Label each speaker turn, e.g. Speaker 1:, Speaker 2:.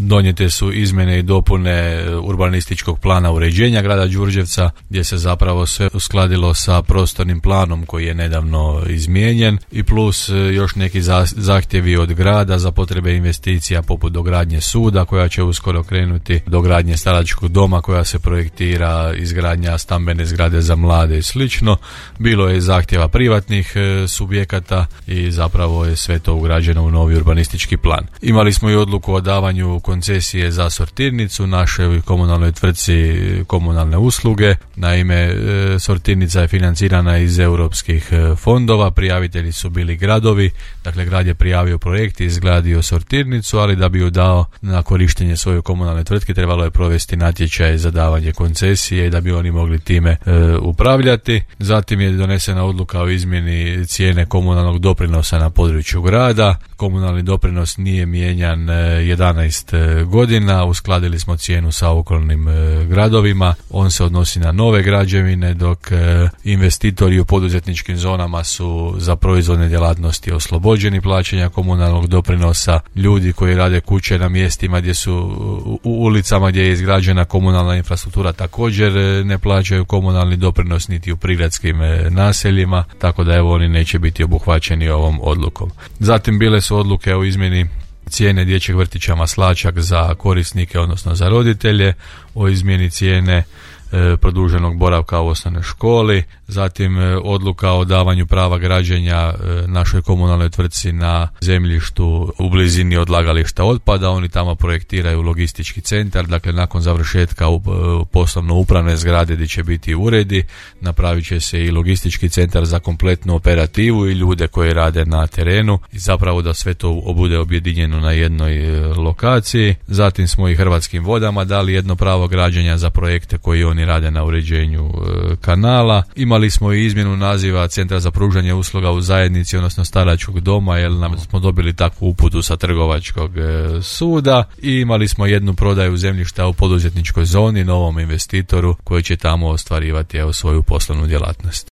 Speaker 1: donijete su izmjene i dopune urbanističkog plana uređenja grada Đurđevca, gdje se zapravo sve uskladilo sa prostornim planom koji je nedavno izmijenjen, i plus još neki zahtjevi od grada za potrebe investicija poput dogradnje suda koja će uskoro krenuti, dogradnje staračkog doma koja se projektira, izgradnja stambene zgrade za mlade i slično. Bilo je zahtjeva privatnih subjekata i zapravo je sve to ugrađeno u novi urbanistički plan. Imali smo i odluku o davanju koncesije za sortirnicu našoj komunalnoj tvrtci Komunalne usluge. Naime, sortirnica je financirana iz europskih fondova, prijavitelji su bili gradovi, dakle grad je prijavio projekt i izgradio sortirnicu, ali da bi ju dao na korištenje svoje komunalne tvrtke trebalo je provesti natječaj za davanje koncesije i da bi oni mogli time upravljati. Zatim je donesena odluka o izmjeni cijene komunalnog doprinosa na području grada. Komunalni doprinos nije mijenjan 11 godina, uskladili smo cijenu sa okolnim gradovima, on se odnosi na nove građevine, dok investitori u poduzetničkim zonama su za proizvodne djelatnosti oslobođeni plaćanja komunalnog doprinosa. Ljudi koji rade kuće na mjestima gdje su u ulicama gdje je izgrađena komunalna infrastruktura također ne plaćaju komunalni doprinos niti u prigradskim naseljima, tako da evo oni neće biti obuhvaćeni ovom odlukom. Zatim bile su odluke o izmjeni cijene dječjeg vrtića Maslačak za korisnike, odnosno za roditelje, o izmjeni cijene produženog boravka u osnovnoj školi, zatim odluka o davanju prava građenja našoj komunalnoj tvrtci na zemljištu u blizini odlagališta otpada. Oni tamo projektiraju logistički centar, dakle nakon završetka poslovno-upravne zgrade gdje će biti uredi, napravit će se i logistički centar za kompletnu operativu i ljude koji rade na terenu i zapravo da sve to bude objedinjeno na jednoj lokaciji. Zatim smo i Hrvatskim vodama dali jedno pravo građenja za projekte koji oni rade na uređenju kanala. Imali smo i izmjenu naziva Centra za pružanje usluga u zajednici, odnosno staračkog doma, jer nam smo dobili takvu uputu sa Trgovačkog suda, i imali smo jednu prodaju zemljišta u poduzetničkoj zoni novom investitoru koji će tamo ostvarivati svoju poslovnu djelatnost.